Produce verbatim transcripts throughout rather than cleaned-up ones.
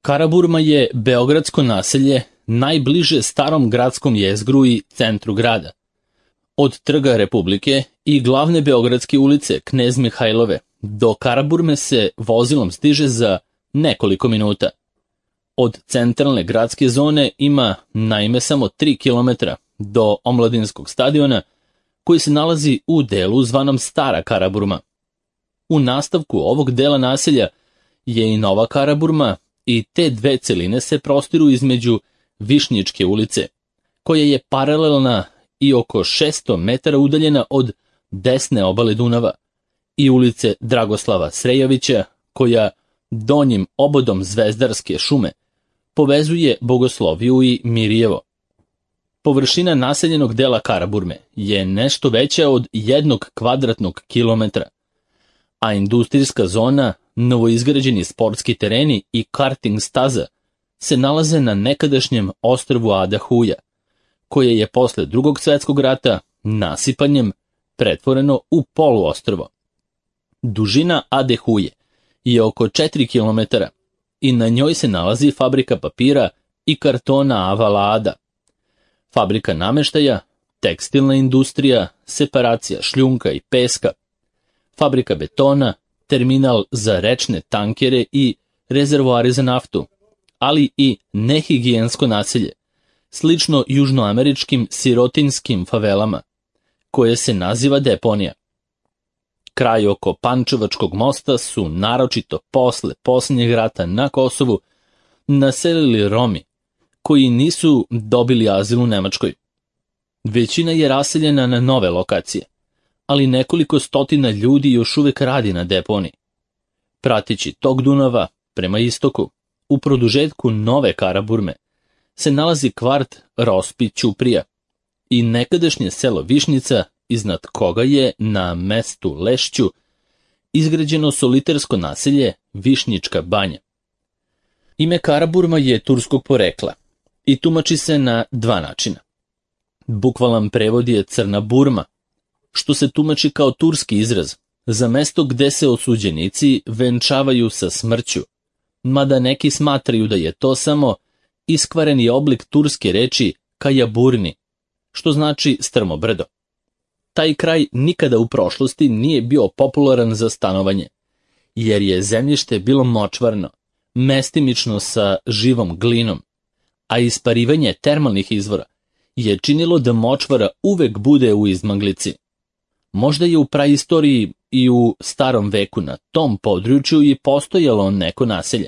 Karaburma je beogradsko naselje najbliže starom gradskom jezgru i centru grada. Od Trga Republike i glavne beogradske ulice Knez Mihajlove do Karaburme se vozilom stiže za nekoliko minuta. Od centralne gradske zone ima naime samo tri kilometra do omladinskog stadiona koji se nalazi u delu zvanom Stara Karaburma. U nastavku ovog dela naselja je i Nova Karaburma i te dve celine se prostiru između Višnjičke ulice, koja je paralelna i oko šesto metara udaljena od desne obale Dunava, i ulice Dragoslava Srejovića, koja donjim obodom Zvezdarske šume povezuje Bogosloviju i Mirjevo. Površina naseljenog dela Karaburme je nešto veća od jednog kvadratnog kilometra, a industrijska zona, novoizgrađeni sportski tereni i karting staza se nalaze na nekadašnjem ostrvu Ada Huja, koje je posle Drugog svjetskog rata nasipanjem pretvoreno u poluostrvo. Dužina Ade Huje je oko četiri kilometra i na njoj se nalazi fabrika papira i kartona Avala Ada, fabrika nameštaja, tekstilna industrija, separacija šljunka i peska, fabrika betona, terminal za rečne tankere i rezervoari za naftu, ali i nehigijensko naselje, slično južnoameričkim sirotinskim favelama, koje se naziva deponija. Kraj oko Pančevačkog mosta su naročito posle posljednjeg rata na Kosovu naselili Romi, koji nisu dobili azil u Nemačkoj. Većina je raseljena na nove lokacije, ali nekoliko stotina ljudi još uvek radi na deponiji. Prateći tok Dunava prema istoku, u produžetku Nove Karaburme, se nalazi kvart Rospi Ćuprija i nekadašnje selo Višnjica, iznad koga je na mestu Lešću izgrađeno solitersko naselje Višnjička banja. Ime Karaburma je turskog porekla i tumači se na dva načina. Bukvalan prevod je Crna Burma, što se tumači kao turski izraz za mesto gde se osuđenici venčavaju sa smrću, mada neki smatraju da je to samo iskvareni oblik turske reči Kajaburni, što znači strmo brdo. Taj kraj nikada u prošlosti nije bio popularan za stanovanje, jer je zemljište bilo močvarno, mestimično sa živom glinom, a isparivanje termalnih izvora je činilo da močvara uvek bude u izmaglici. Možda je u praistoriji i u starom veku na tom području i postojalo neko naselje,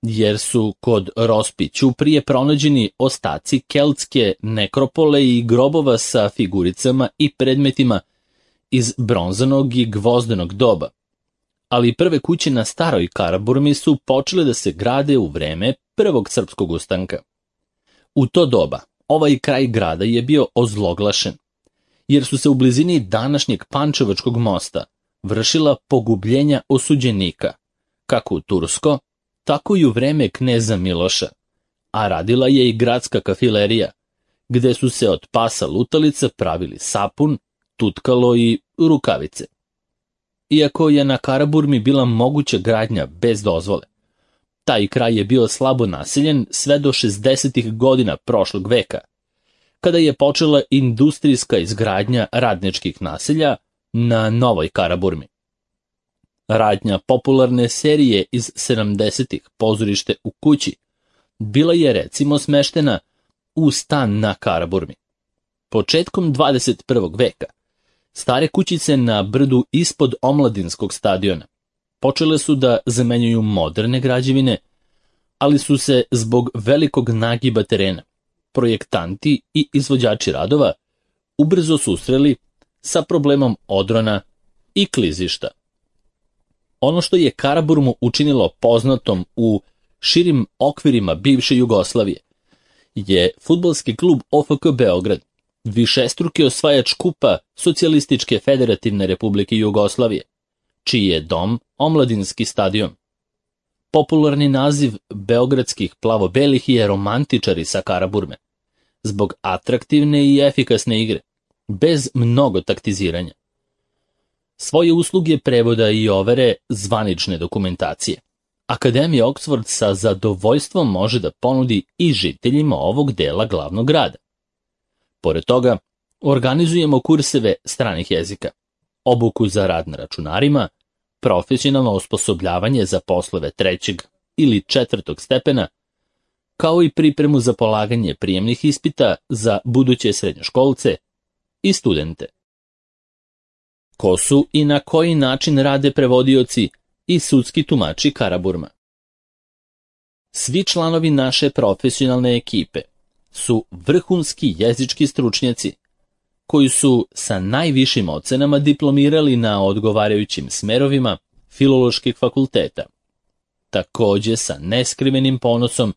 jer su kod Rospi Ćuprije pronađeni ostaci keltske nekropole i grobova sa figuricama i predmetima iz bronzanog i gvozdenog doba. Ali prve kuće na staroj Karaburmi su počele da se grade u vreme prvog srpskog ustanka. U to doba ovaj kraj grada je bio ozloglašen, jer su se u blizini današnjeg Pančevačkog mosta vršila pogubljenja osuđenika, kako u tursko, tako i u vreme kneza Miloša, a radila je i gradska kafilerija, gde su se od pasa lutalica pravili sapun, tutkalo i rukavice. Iako je na Karaburmi bila moguća gradnja bez dozvole, taj kraj je bio slabo naseljen sve do šezdesetih godina prošlog veka, kada je počela industrijska izgradnja radničkih naselja na Novoj Karaburmi. Radnja popularne serije iz sedamdesetih Pozorište u kući bila je recimo smeštena u stan na Karaburmi. Početkom dvadeset prvog veka stare kućice na brdu ispod omladinskog stadiona počele su da zamenjuju moderne građevine, ali su se zbog velikog nagiba terena projektanti i izvođači radova ubrzo susreli sa problemom odrona i klizišta. Ono što je Karaburmu učinilo poznatom u širim okvirima bivše Jugoslavije je fudbalski klub O F K Beograd, višestruki osvajač kupa Socijalističke federativne republike Jugoslavije, čiji je dom omladinski stadion. Popularni naziv beogradskih plavobelih je romantičari sa Karaburme, zbog atraktivne i efikasne igre, bez mnogo taktiziranja. Svoje usluge prevoda i overe zvanične dokumentacije Akademija Oxford sa zadovoljstvom može da ponudi i žiteljima ovog dela glavnog grada. Pored toga, organizujemo kurseve stranih jezika, obuku za rad na računarima, profesionalno osposobljavanje za poslove trećeg ili četvrtog stepena, kao i pripremu za polaganje prijemnih ispita za buduće srednjoškolce i studente. Ko su i na koji način rade prevodioci i sudski tumači Karaburma? Svi članovi naše profesionalne ekipe su vrhunski jezički stručnjaci koji su sa najvišim ocenama diplomirali na odgovarajućim smerovima filoloških fakulteta. Takođe, sa neskrivenim ponosom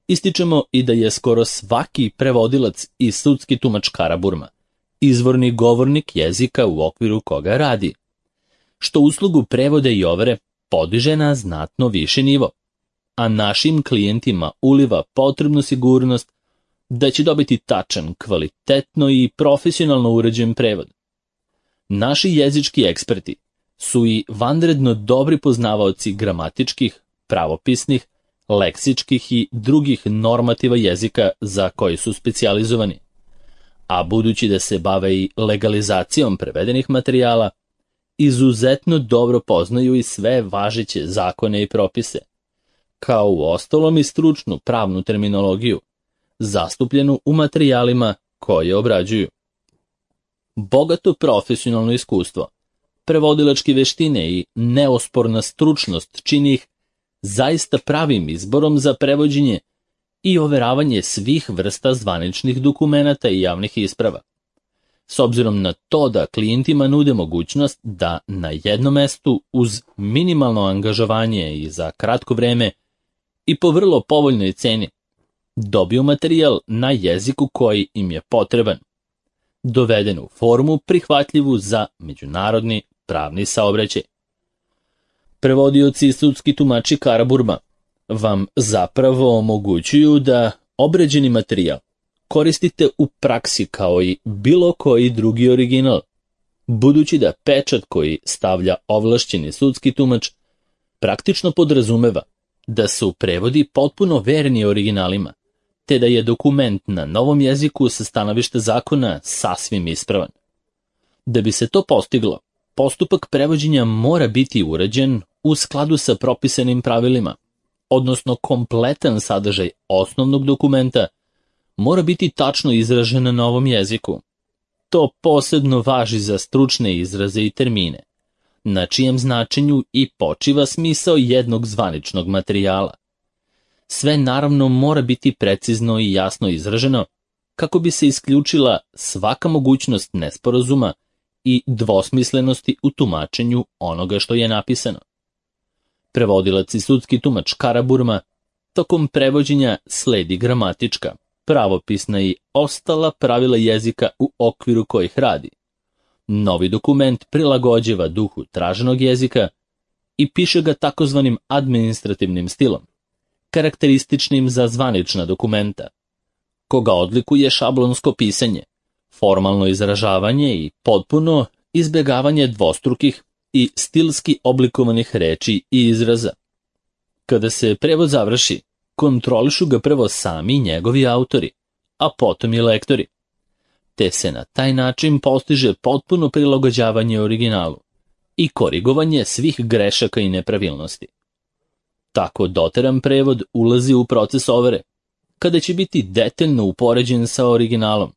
ističemo i da je skoro svaki prevodilac i sudski tumač Karaburma izvorni govornik jezika u okviru koga radi, što uslugu prevode i overe podiže na znatno viši nivo, a našim klijentima uliva potrebnu sigurnost da će dobiti tačan, kvalitetno i profesionalno uređen prevod. Naši jezički eksperti su i vanredno dobri poznavaoci gramatičkih, pravopisnih, leksičkih i drugih normativa jezika za koji su specijalizovani, a budući da se bave i legalizacijom prevedenih materijala, izuzetno dobro poznaju i sve važeće zakone i propise, kao u ostalom i stručnu pravnu terminologiju, zastupljenu u materijalima koje obrađuju. Bogato profesionalno iskustvo, prevodilačke veštine i neosporna stručnost čini ih zaista pravim izborom za prevođenje i overavanje svih vrsta zvaničnih dokumenata i javnih isprava. S obzirom na to da klijentima nude mogućnost da na jednom mestu uz minimalno angažovanje i za kratko vreme i po vrlo povoljnoj ceni dobiju materijal na jeziku koji im je potreban, doveden u formu prihvatljivu za međunarodni pravni saobraćaj. Prevodioci i sudski tumači Karaburma vam zapravo omogućuju da obrađeni materijal koristite u praksi kao i bilo koji drugi original, budući da pečat koji stavlja ovlašćeni sudski tumač praktično podrazumeva da su prevodi potpuno verni originalima, te da je dokument na novom jeziku sa stanovišta zakona sasvim ispravan. Da bi se to postiglo, postupak prevođenja mora biti urađen u skladu sa propisanim pravilima, odnosno kompletan sadržaj osnovnog dokumenta mora biti tačno izražen na novom jeziku. To posebno važi za stručne izraze i termine, na čijem značenju i počiva smisao jednog zvaničnog materijala. Sve naravno mora biti precizno i jasno izraženo kako bi se isključila svaka mogućnost nesporazuma i dvosmislenosti u tumačenju onoga što je napisano. Prevodilac i sudski tumač Karaburma tokom prevođenja sledi gramatička, pravopisna i ostala pravila jezika u okviru kojih radi. Novi dokument prilagođava duhu traženog jezika i piše ga takozvanim administrativnim stilom, karakterističnim za zvanična dokumenta, koga odlikuje šablonsko pisanje, formalno izražavanje i potpuno izbjegavanje dvostrukih i stilski oblikovanih reči i izraza. Kada se prevod završi, kontrolišu ga prvo sami njegovi autori, a potom i lektori, te se na taj način postiže potpuno prilagođavanje originalu i korigovanje svih grešaka i nepravilnosti. Tako doteran prevod ulazi u proces overe, kada će biti detaljno upoređen sa originalom,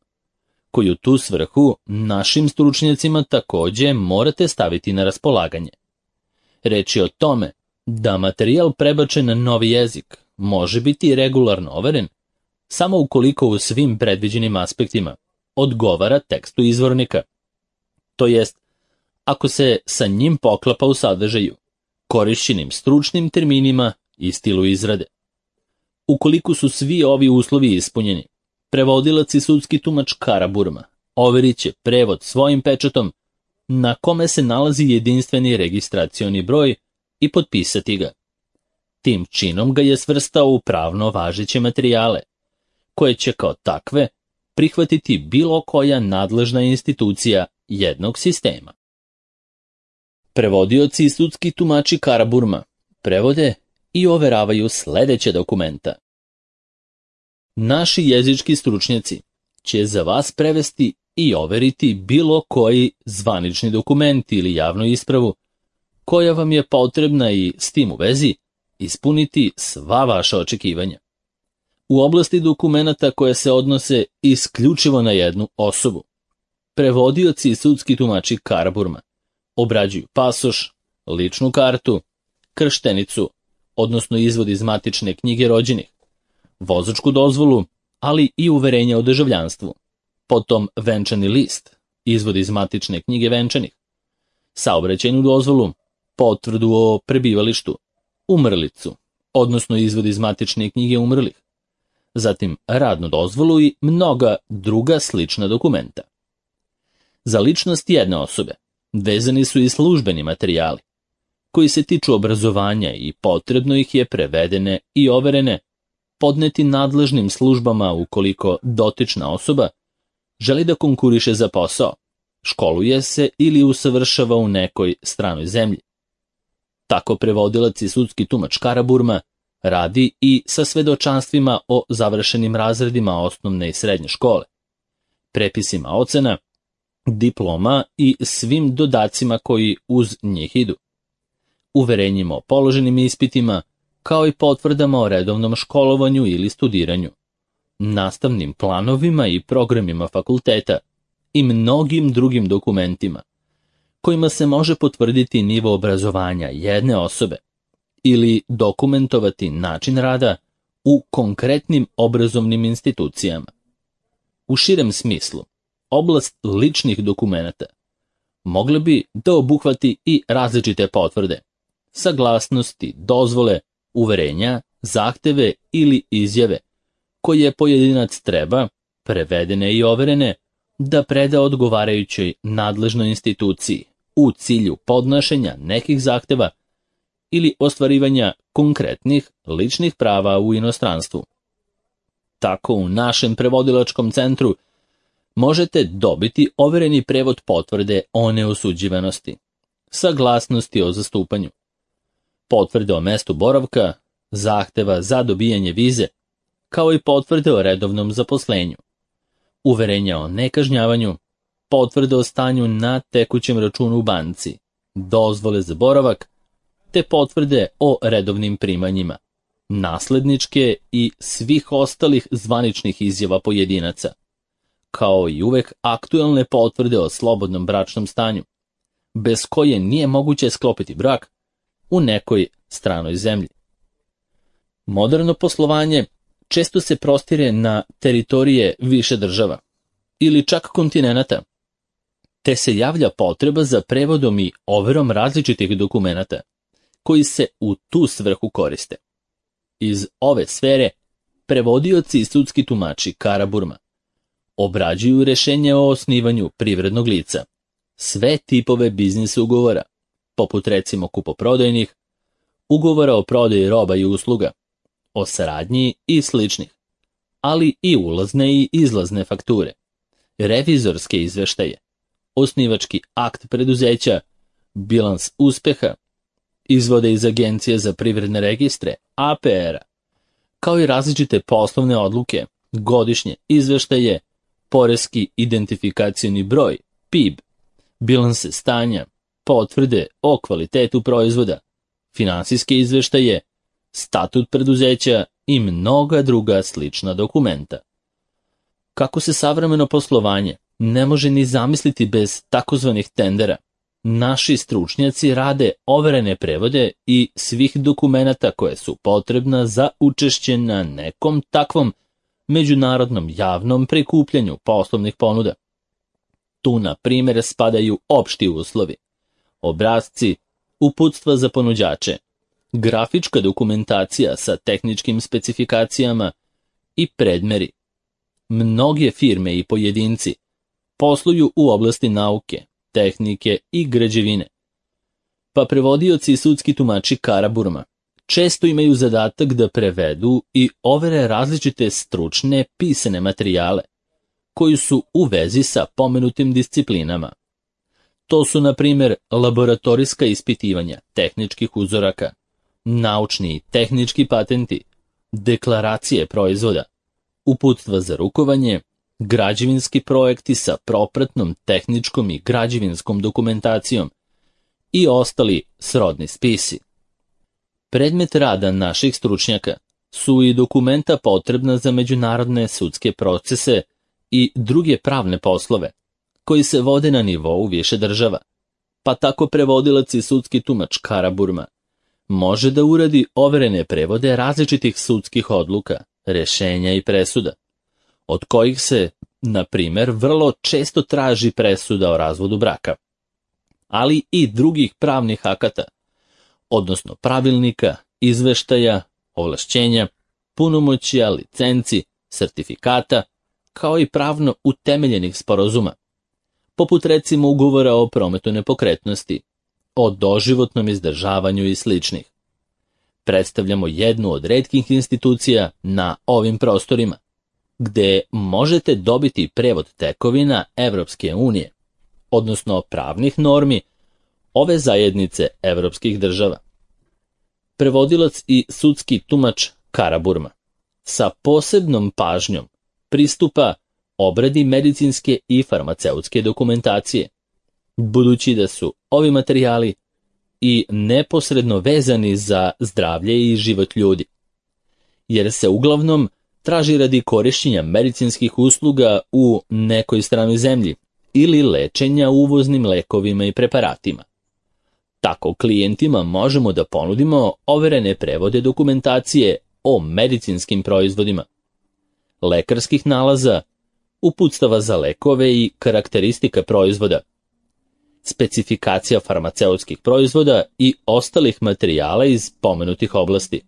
koji u tu svrhu našim stručnjacima takođe morate staviti na raspolaganje. Reč je o tome da materijal prebačen na novi jezik može biti regularno overen samo ukoliko u svim predviđenim aspektima odgovara tekstu izvornika, to jest ako se sa njim poklapa u sadržaju, korišćenim stručnim terminima i stilu izrade. Ukoliko su svi ovi uslovi ispunjeni, prevodilac i sudski tumač Karaburma overit će prevod svojim pečatom na kome se nalazi jedinstveni registracioni broj i potpisati ga. Tim činom ga je svrstao u pravno važeće materijale, koje će kao takve prihvatiti bilo koja nadležna institucija jednog sistema. Prevodioci i sudski tumači Karaburma prevode i overavaju sledeća dokumenta. Naši jezički stručnjaci će za vas prevesti i overiti bilo koji zvanični dokument ili javnu ispravu koja vam je potrebna i s tim u vezi ispuniti sva vaša očekivanja. U oblasti dokumenata koje se odnose isključivo na jednu osobu, prevodioci i sudski tumači Karaburma obrađuju pasoš, ličnu kartu, krštenicu, odnosno izvod iz matične knjige rođenih, vozačku dozvolu, ali i uverenja o državljanstvu, potom venčani list, izvod iz matične knjige venčanih, saobraćajnu dozvolu, potvrdu o prebivalištu, umrlicu, odnosno izvod iz matične knjige umrlih, zatim radnu dozvolu i mnoga druga slična dokumenta. Za ličnost jedne osobe vezani su i službeni materijali, koji se tiču obrazovanja i potrebno ih je prevedene i overene podneti nadležnim službama ukoliko dotična osoba želi da konkuriše za posao, školuje se ili usavršava u nekoj stranoj zemlji. Tako prevodilac i sudski tumač Karaburma radi i sa svedočanstvima o završenim razredima osnovne i srednje škole, prepisima ocena, diploma i svim dodacima koji uz njih idu, uverenjima o položenim ispitima, kao i potvrdama o redovnom školovanju ili studiranju, nastavnim planovima i programima fakulteta i mnogim drugim dokumentima, kojima se može potvrditi nivo obrazovanja jedne osobe ili dokumentovati način rada u konkretnim obrazovnim institucijama. U širem smislu, oblast ličnih dokumenata mogle bi da obuhvati i različite potvrde, saglasnosti, dozvole, uverenja, zahteve ili izjave koje pojedinac treba, prevedene i overene, da preda odgovarajućoj nadležnoj instituciji u cilju podnošenja nekih zahteva ili ostvarivanja konkretnih ličnih prava u inostranstvu. Tako u našem prevodilačkom centru možete dobiti overeni prevod potvrde o neosuđivanosti, saglasnosti o zastupanju, potvrde o mestu boravka, zahteva za dobijanje vize, kao i potvrde o redovnom zaposlenju, uverenja o nekažnjavanju, potvrde o stanju na tekućem računu u banci, dozvole za boravak, te potvrde o redovnim primanjima, nasledničke i svih ostalih zvaničnih izjava pojedinaca, kao i uvek aktuelne potvrde o slobodnom bračnom stanju, bez koje nije moguće sklopiti brak u nekoj stranoj zemlji. Moderno poslovanje često se prostire na teritorije više država ili čak kontinenata, te se javlja potreba za prevodom i overom različitih dokumenata koji se u tu svrhu koriste. Iz ove sfere prevodioci i sudski tumači Karaburma obrađuju rešenje o osnivanju privrednog lica, sve tipove biznis ugovora, poput recimo kupoprodajnih, ugovora o prodaji roba i usluga, o saradnji i sličnih, ali i ulazne i izlazne fakture, revizorske izveštaje, osnivački akt preduzeća, bilans uspeha, izvode iz Agencije za privredne registre, A P R-a, kao i različite poslovne odluke, godišnje izveštaje, poreski identifikacioni broj, P I B, bilanse stanja, potvrde o kvalitetu proizvoda, finansijske izveštaje, statut preduzeća i mnoga druga slična dokumenta. Kako se savremeno poslovanje ne može ni zamisliti bez takozvanih tendera, naši stručnjaci rade overene prevode i svih dokumenata koje su potrebna za učešće na nekom takvom međunarodnom javnom prikupljanju poslovnih ponuda. Tu, na primjer, spadaju opšti uslovi, obrasci, uputstva za ponuđače, grafička dokumentacija sa tehničkim specifikacijama i predmeri. Mnoge firme i pojedinci posluju u oblasti nauke, tehnike i građevine, pa prevodioci i sudski tumači Karaburma često imaju zadatak da prevedu i overe različite stručne pisane materijale koji su u vezi sa pomenutim disciplinama. To su, na primjer, laboratorijska ispitivanja tehničkih uzoraka, naučni i tehnički patenti, deklaracije proizvoda, uputstva za rukovanje, građevinski projekti sa propratnom tehničkom i građevinskom dokumentacijom i ostali srodni spisi. Predmet rada naših stručnjaka su i dokumenta potrebna za međunarodne sudske procese i druge pravne poslove, koji se vode na nivou više država, pa tako prevodilac i sudski tumač Karaburma može da uradi overene prevode različitih sudskih odluka, rešenja i presuda, od kojih se, na primer, vrlo često traži presuda o razvodu braka, ali i drugih pravnih akata, odnosno pravilnika, izveštaja, ovlašćenja, punomoćja, licenci, sertifikata, kao i pravno utemeljenih sporazuma, poput recimo ugovora o prometu nepokretnosti, o doživotnom izdržavanju i sličnih. Predstavljamo jednu od retkih institucija na ovim prostorima, gde možete dobiti prevod tekovina Evropske unije, odnosno pravnih normi ove zajednice evropskih država. Prevodilac i sudski tumač Karaburma sa posebnom pažnjom pristupa obradi medicinske i farmaceutske dokumentacije, budući da su ovi materijali i neposredno vezani za zdravlje i život ljudi, jer se uglavnom traži radi korišćenja medicinskih usluga u nekoj stranoj zemlji ili lečenja uvoznim lekovima i preparatima. Tako klijentima možemo da ponudimo overene prevode dokumentacije o medicinskim proizvodima, lekarskih nalaza, uputstava za lekove i karakteristika proizvoda, specifikacija farmaceutskih proizvoda i ostalih materijala iz pomenutih oblasti.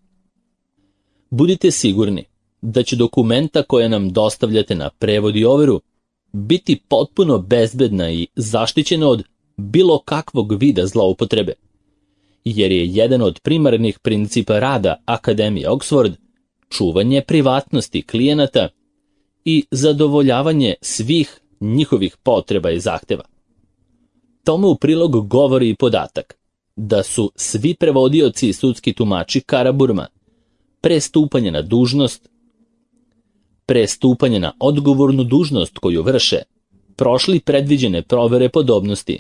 Budite sigurni da će dokumenta koje nam dostavljate na prevod i overu biti potpuno bezbedna i zaštićena od bilo kakvog vida zloupotrebe, jer je jedan od primarnih principa rada Akademije Oxford čuvanje privatnosti klijenata i zadovoljavanje svih njihovih potreba i zahteva. Tome u prilog govori i podatak da su svi prevodioci i sudski tumači Karaburma pre stupanja na dužnost, pre stupanja na odgovornu dužnost koju vrše, prošli predviđene provere podobnosti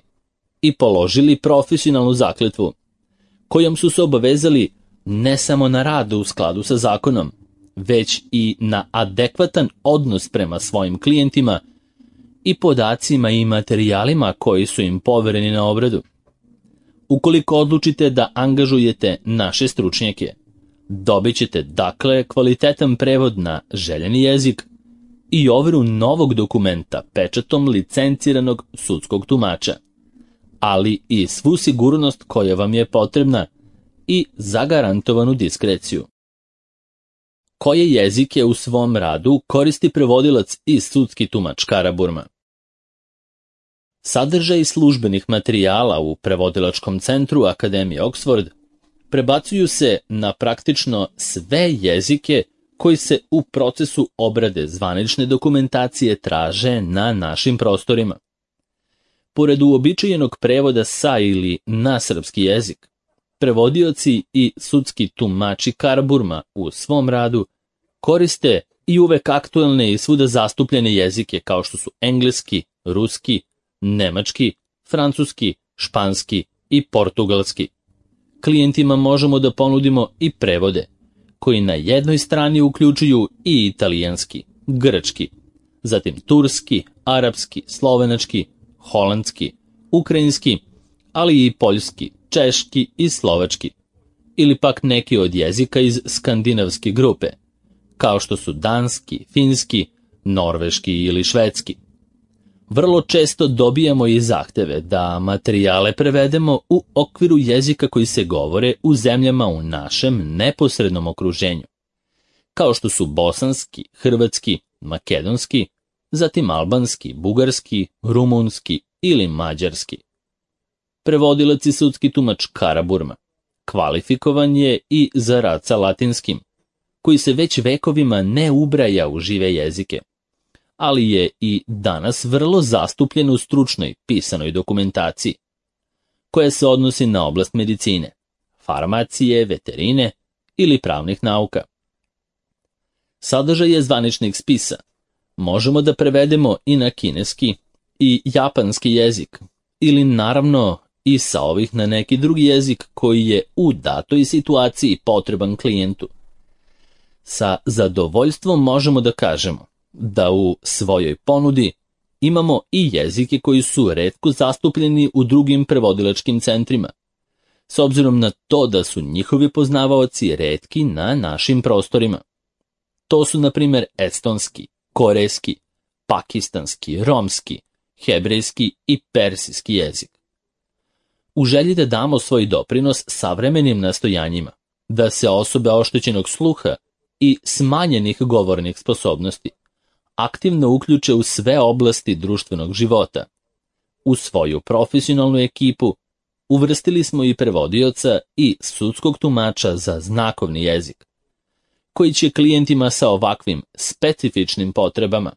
i položili profesionalnu zakletvu, kojom su se obavezali ne samo na rad u skladu sa zakonom, već i na adekvatan odnos prema svojim klijentima i podacima i materijalima koji su im povereni na obradu. Ukoliko odlučite da angažujete naše stručnjake, dobit ćete dakle kvalitetan prevod na željeni jezik i overu novog dokumenta pečatom licenciranog sudskog tumača, ali i svu sigurnost koja vam je potrebna i zagarantovanu diskreciju. Koje jezike u svom radu koristi prevodilac i sudski tumač Karaburma? Sadržaj službenih materijala u prevodilačkom centru Akademije Oxford prebacuju se na praktično sve jezike koji se u procesu obrade zvanične dokumentacije traže na našim prostorima. Pored uobičajenog prevoda sa ili na srpski jezik, prevodioci i sudski tumači Karaburma u svom radu koriste i uvek aktuelne i svuda zastupljene jezike kao što su engleski, ruski, nemački, francuski, španski i portugalski. Klijentima možemo da ponudimo i prevode, koji na jednoj strani uključuju i italijanski, grčki, zatim turski, arapski, slovenački, holandski, ukrajinski, ali i poljski, češki i slovački, ili pak neki od jezika iz skandinavske grupe, kao što su danski, finski, norveški ili švedski. Vrlo često dobijamo i zahteve da materijale prevedemo u okviru jezika koji se govore u zemljama u našem neposrednom okruženju, kao što su bosanski, hrvatski, makedonski, zatim albanski, bugarski, rumunski ili mađarski. Prevodilac i sudski tumač Karaburma kvalifikovan je i za rad sa latinskim, koji se već vekovima ne ubraja u žive jezike, ali je i danas vrlo zastupljen u stručnoj pisanoj dokumentaciji, koja se odnosi na oblast medicine, farmacije, veterine ili pravnih nauka. Sadržaj je zvaničnih spisa. Možemo da prevedemo i na kineski i japanski jezik, ili naravno i sa ovih na neki drugi jezik koji je u datoj situaciji potreban klijentu. Sa zadovoljstvom možemo da kažemo da u svojoj ponudi imamo i jezike koji su retko zastupljeni u drugim prevodilačkim centrima, s obzirom na to da su njihovi poznavaoci retki na našim prostorima. To su, na primjer, estonski, korejski, pakistanski, romski, hebrejski i persijski jezik. U želji da damo svoj doprinos savremenim nastojanjima, da se osobe oštećenog sluha i smanjenih govornih sposobnosti aktivno uključe u sve oblasti društvenog života. U svoju profesionalnu ekipu uvrstili smo i prevodioca i sudskog tumača za znakovni jezik, koji će klijentima sa ovakvim specifičnim potrebama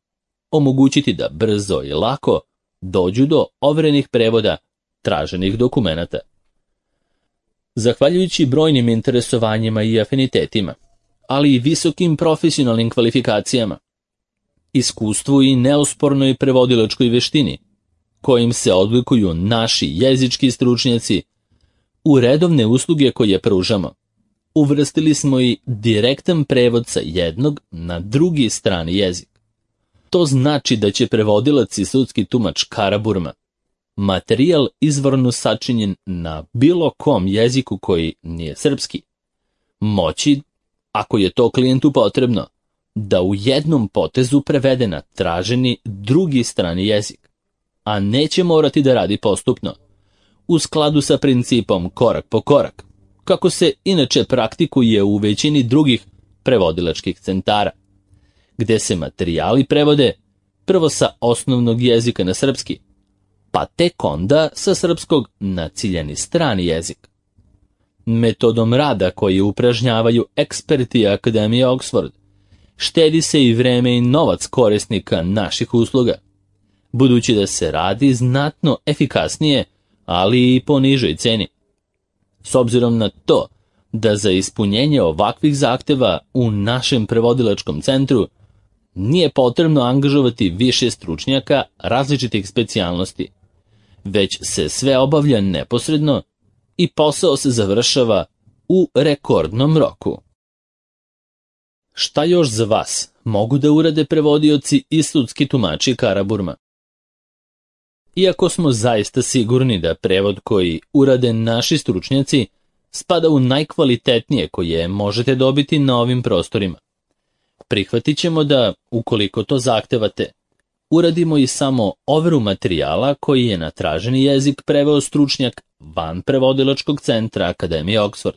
omogućiti da brzo i lako dođu do overenih prevoda traženih dokumenata. Zahvaljujući brojnim interesovanjima i afinitetima, ali i visokim profesionalnim kvalifikacijama, iskustvu i neospornoj prevodilačkoj veštini, kojim se odlikuju naši jezički stručnjaci, u redovne usluge koje pružamo, uvrstili smo i direktan prevod sa jednog na drugi strani jezik. To znači da će prevodilac i sudski tumač Karaburma materijal izvorno sačinjen na bilo kom jeziku koji nije srpski moći, ako je to klijentu potrebno, da u jednom potezu prevede na traženi drugi strani jezik, a neće morati da radi postupno, u skladu sa principom korak po korak, kako se inače praktikuje u većini drugih prevodilačkih centara, gde se materijali prevode prvo sa osnovnog jezika na srpski, pa tek onda sa srpskog na ciljani strani jezik. Metodom rada koji upražnjavaju eksperti Akademije Oxford, štedi se i vreme i novac korisnika naših usluga, budući da se radi znatno efikasnije, ali i po nižoj ceni. S obzirom na to da za ispunjenje ovakvih zahteva u našem prevodilačkom centru nije potrebno angažovati više stručnjaka različitih specijalnosti, već se sve obavlja neposredno i posao se završava u rekordnom roku. Šta još za vas mogu da urade prevodioci i sudski tumači Karaburma? Iako smo zaista sigurni da prevod koji urade naši stručnjaci spada u najkvalitetnije koje možete dobiti na ovim prostorima, prihvatit ćemo da, ukoliko to zahtevate, uradimo i samo overu materijala koji je na traženi jezik preveo stručnjak van prevodilačkog centra Akademije Oxford.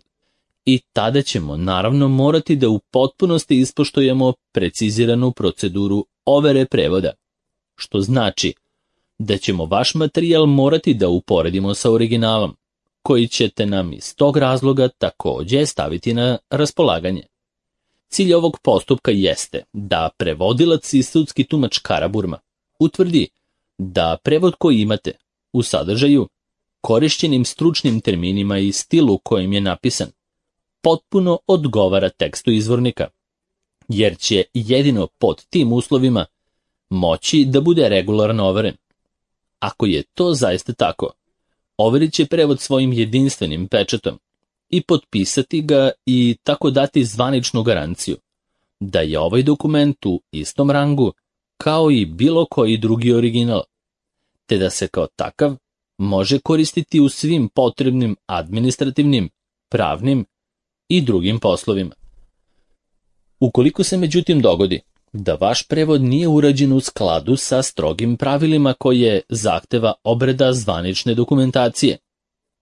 I tada ćemo naravno morati da u potpunosti ispoštujemo preciziranu proceduru overe prevoda, što znači da ćemo vaš materijal morati da uporedimo sa originalom, koji ćete nam iz tog razloga takođe staviti na raspolaganje. Cilj ovog postupka jeste da prevodilac i sudski tumač Karaburma utvrdi da prevod koji imate u sadržaju, korišćenim stručnim terminima i stilu kojim je napisan, potpuno odgovara tekstu izvornika, jer će jedino pod tim uslovima moći da bude regularno overen. Ako je to zaista tako, overit će prevod svojim jedinstvenim pečatom i potpisati ga i tako dati zvaničnu garanciju da je ovaj dokument u istom rangu kao i bilo koji drugi original, te da se kao takav može koristiti u svim potrebnim administrativnim, pravnim i drugim poslovima. Ukoliko se međutim dogodi da vaš prevod nije urađen u skladu sa strogim pravilima koje zahteva obrada zvanične dokumentacije,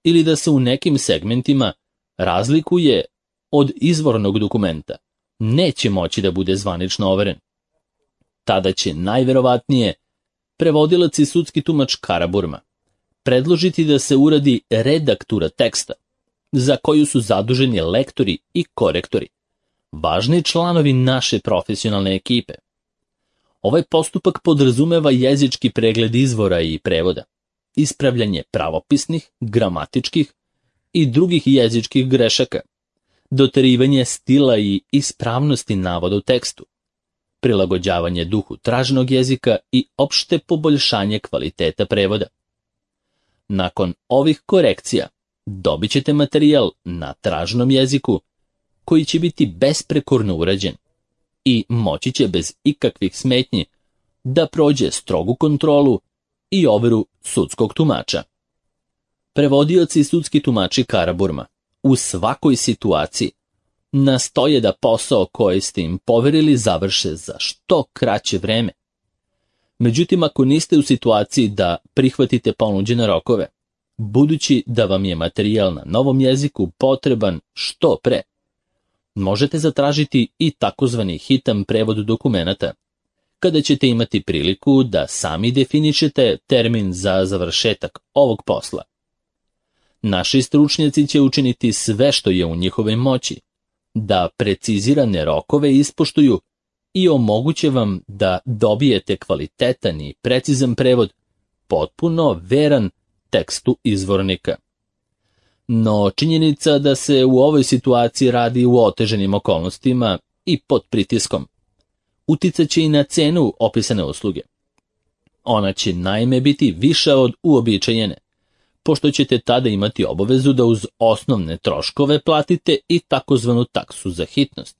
ili da se u nekim segmentima razlikuje od izvornog dokumenta, neće moći da bude zvanično overen. Tada će najverovatnije prevodilac i sudski tumač Karaburma predložiti da se uradi redaktura teksta, za koju su zaduženi lektori i korektori, važni članovi naše profesionalne ekipe. Ovaj postupak podrazumeva jezički pregled izvora i prevoda, ispravljanje pravopisnih, gramatičkih i drugih jezičkih grešaka, doterivanje stila i ispravnosti navoda u tekstu, prilagođavanje duhu traženog jezika i opšte poboljšanje kvaliteta prevoda. Nakon ovih korekcija dobit ćete materijal na traženom jeziku koji će biti besprekorno urađen i moći će bez ikakvih smetnji da prođe strogu kontrolu i overu sudskog tumača. Prevodioci i sudski tumači Karaburma u svakoj situaciji nastoje da posao koji ste im poverili završe za što kraće vreme. Međutim, ako niste u situaciji da prihvatite ponuđene rokove, budući da vam je materijal na novom jeziku potreban što pre, možete zatražiti i takozvani hitan prevod dokumenata, kada ćete imati priliku da sami definišete termin za završetak ovog posla. Naši stručnjaci će učiniti sve što je u njihovoj moći, da precizirane rokove ispoštuju i omoguće vam da dobijete kvalitetan i precizan prevod, potpuno veran tekstu izvornika. No činjenica da se u ovoj situaciji radi u oteženim okolnostima i pod pritiskom uticat će i na cenu opisane usluge. Ona će naime biti viša od uobičajene, pošto ćete tada imati obavezu da uz osnovne troškove platite i takozvanu taksu za hitnost,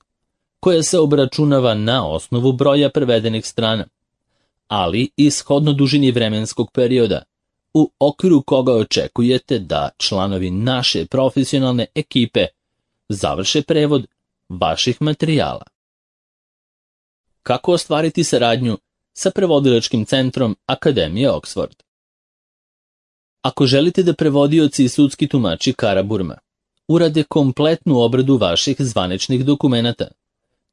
koja se obračunava na osnovu broja prevedenih strana, ali i shodno dužini vremenskog perioda, u okviru koga očekujete da članovi naše profesionalne ekipe završe prevod vaših materijala. Kako ostvariti saradnju sa prevodilačkim centrom Akademije Oxford? Ako želite da prevodioci i sudski tumači Karaburma urade kompletnu obradu vaših zvaničnih dokumenata,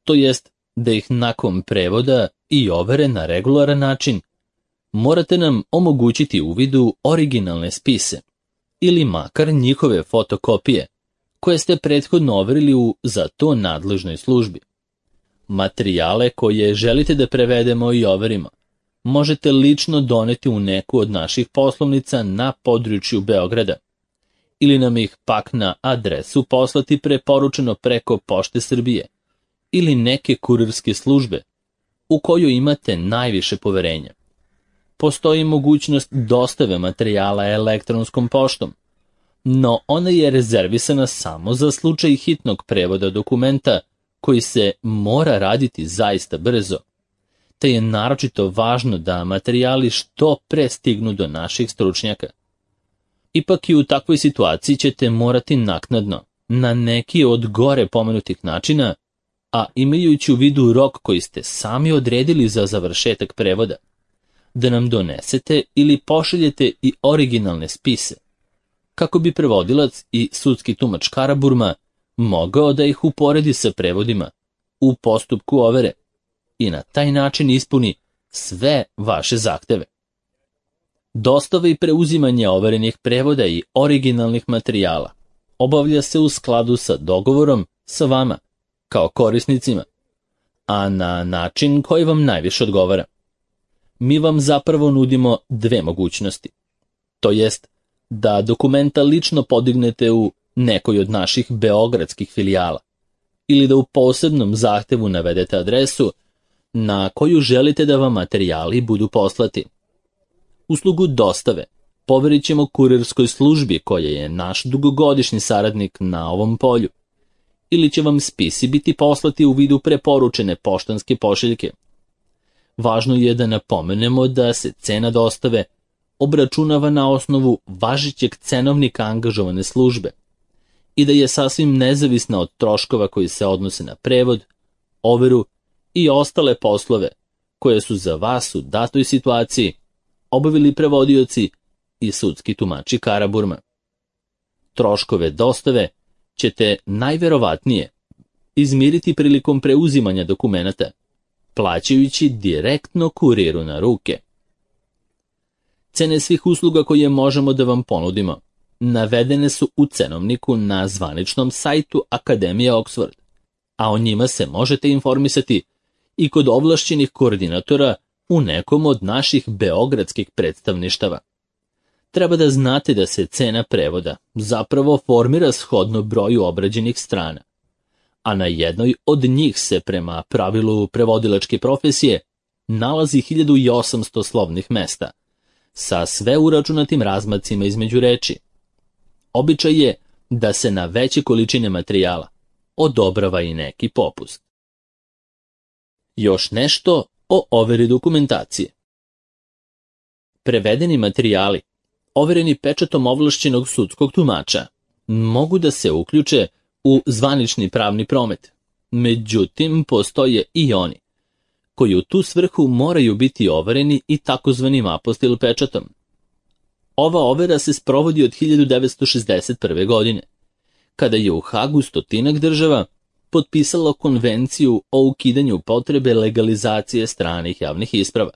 to jest da ih nakon prevoda i overe na regularan način, morate nam omogućiti uvid u originalne spise ili makar njihove fotokopije koje ste prethodno overili u za to nadležnoj službi. Materijale koje želite da prevedemo i overimo možete lično doneti u neku od naših poslovnica na području Beograda ili nam ih pak na adresu poslati preporučeno preko Pošte Srbije ili neke kurirske službe u kojoj imate najviše poverenja. Postoji mogućnost dostave materijala elektronskom poštom, no ona je rezervisana samo za slučaj hitnog prevoda dokumenta koji se mora raditi zaista brzo, te je naročito važno da materijali što pre stignu do naših stručnjaka. Ipak i u takvoj situaciji ćete morati naknadno, na neki od gore pomenutih načina, a imajući u vidu rok koji ste sami odredili za završetak prevoda, da nam donesete ili pošaljete i originalne spise, kako bi prevodilac i sudski tumač Karaburma mogao da ih uporedi sa prevodima u postupku overe i na taj način ispuni sve vaše zahteve. Dostava i preuzimanje overenih prevoda i originalnih materijala obavlja se u skladu sa dogovorom sa vama, kao korisnicima, a na način koji vam najviše odgovara. Mi vam zapravo nudimo dve mogućnosti, to jest da dokumenta lično podignete u nekoj od naših beogradskih filijala ili da u posebnom zahtevu navedete adresu na koju želite da vam materijali budu poslati. Uslugu dostave poverit ćemo kurirskoj službi koja je naš dugogodišnji saradnik na ovom polju, ili će vam spisi biti poslati u vidu preporučene poštanske pošiljke. Važno je da napomenemo da se cena dostave obračunava na osnovu važećeg cenovnika angažovane službe i da je sasvim nezavisna od troškova koji se odnose na prevod, overu i ostale poslove koje su za vas u datoj situaciji obavili prevodioci i sudski tumači Karaburma. Troškove dostave ćete najverovatnije izmiriti prilikom preuzimanja dokumenata, plaćajući direktno kuriru na ruke. Cene svih usluga koje možemo da vam ponudimo navedene su u cenovniku na zvaničnom sajtu Akademije Oxford, a o njima se možete informisati i kod ovlašćenih koordinatora u nekom od naših beogradskih predstavništava. treba da znate da se cena prevoda zapravo formira shodno broju obrađenih strana, a na jednoj od njih se prema pravilu prevodilačke profesije nalazi hiljadu osamsto slovnih mesta, sa sve uračunatim razmacima između reči. Običaj je da se na veće količine materijala odobrava i neki popust. Još nešto o overi dokumentacije. Prevedeni materijali, overeni pečatom ovlašćenog sudskog tumača, mogu da se uključe u zvanični pravni promet. Međutim, postoje i oni koji u tu svrhu moraju biti overeni i takozvanim apostil pečatom. Ova overa se sprovodi od hiljadu devetsto šezdeset prve. godine, kada je u Hagu stotinak država potpisalo konvenciju o ukidanju potrebe legalizacije stranih javnih isprava.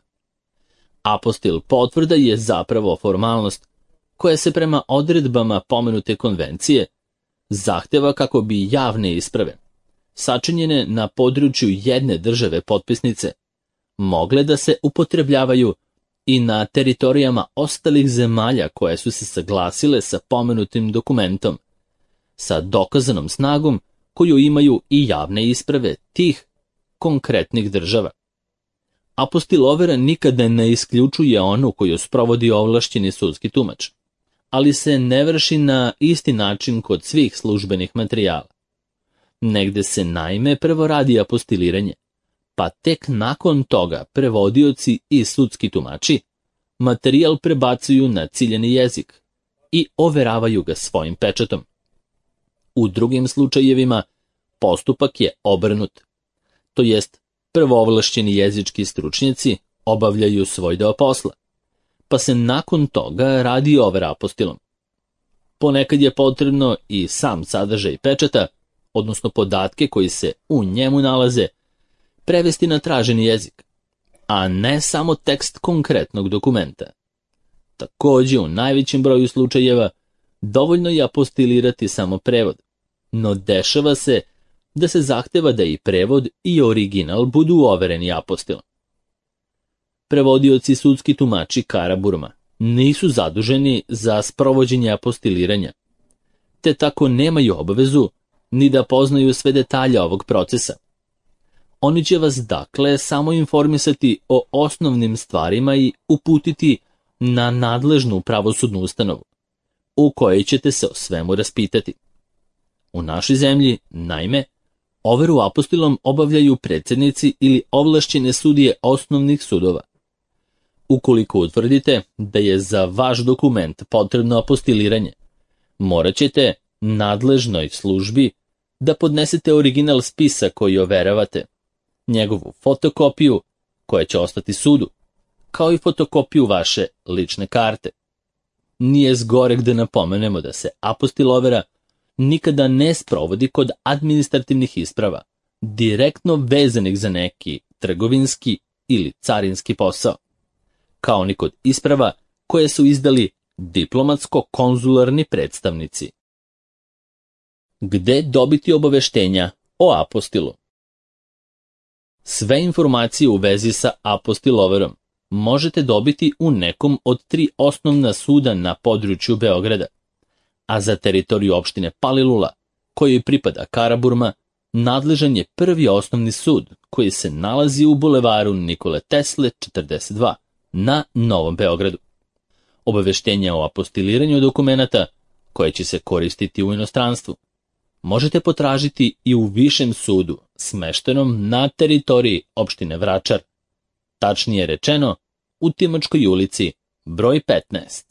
Apostil potvrda je zapravo formalnost koja se prema odredbama pomenute konvencije zahteva kako bi javne isprave, sačinjene na području jedne države potpisnice, mogle da se upotrebljavaju i na teritorijama ostalih zemalja koje su se saglasile sa pomenutim dokumentom, sa dokazanom snagom koju imaju i javne isprave tih konkretnih država. Apostil overa nikada ne isključuje onu koju sprovodi ovlašćeni sudski tumač, ali se ne vrši na isti način kod svih službenih materijala. Negde se naime prvo radi apostiliranje, pa tek nakon toga prevodioci i sudski tumači materijal prebacuju na ciljani jezik i overavaju ga svojim pečatom. U drugim slučajevima postupak je obrnut, to jest prvo ovlašćeni jezički stručnjaci obavljaju svoj deo posla, pa se nakon toga radi overa apostilom. Ponekad je potrebno i sam sadržaj pečata, odnosno podatke koji se u njemu nalaze, prevesti na traženi jezik, a ne samo tekst konkretnog dokumenta. Također, u najvećem broju slučajeva dovoljno je apostilirati samo prevod, no dešava se da se zahteva da i prevod i original budu overeni apostilom. Prevodioci sudski tumači Karaburma nisu zaduženi za sprovođenje apostiliranja, te tako nemaju obavezu ni da poznaju sve detalje ovog procesa. Oni će vas dakle samo informisati o osnovnim stvarima i uputiti na nadležnu pravosudnu ustanovu, u kojoj ćete se o svemu raspitati. U našoj zemlji, naime, overu apostilom obavljaju predsjednici ili ovlašćene sudije osnovnih sudova. Ukoliko utvrdite da je za vaš dokument potrebno apostiliranje, morat ćete nadležnoj službi da podnesete original spisa koji overavate, njegovu fotokopiju koja će ostati sudu, kao i fotokopiju vaše lične karte. Nije zgoreg da napomenemo da se apostil overa nikada ne sprovodi kod administrativnih isprava, direktno vezanih za neki trgovinski ili carinski posao, kao ni kod isprava koje su izdali diplomatsko-konzularni predstavnici. Gde dobiti obaveštenja o apostilu? Sve informacije u vezi sa apostil overom možete dobiti u nekom od tri osnovna suda na području Beograda, a za teritoriju opštine Palilula, kojoj pripada Karaburma, nadležan je prvi osnovni sud koji se nalazi u bulevaru Nikole Tesle četrdeset dva na Novom Beogradu. Obaveštenja o apostiliranju dokumenata koje će se koristiti u inostranstvu možete potražiti i u višem sudu smeštenom na teritoriji opštine Vračar, tačnije rečeno u Timočkoj ulici broj petnaest.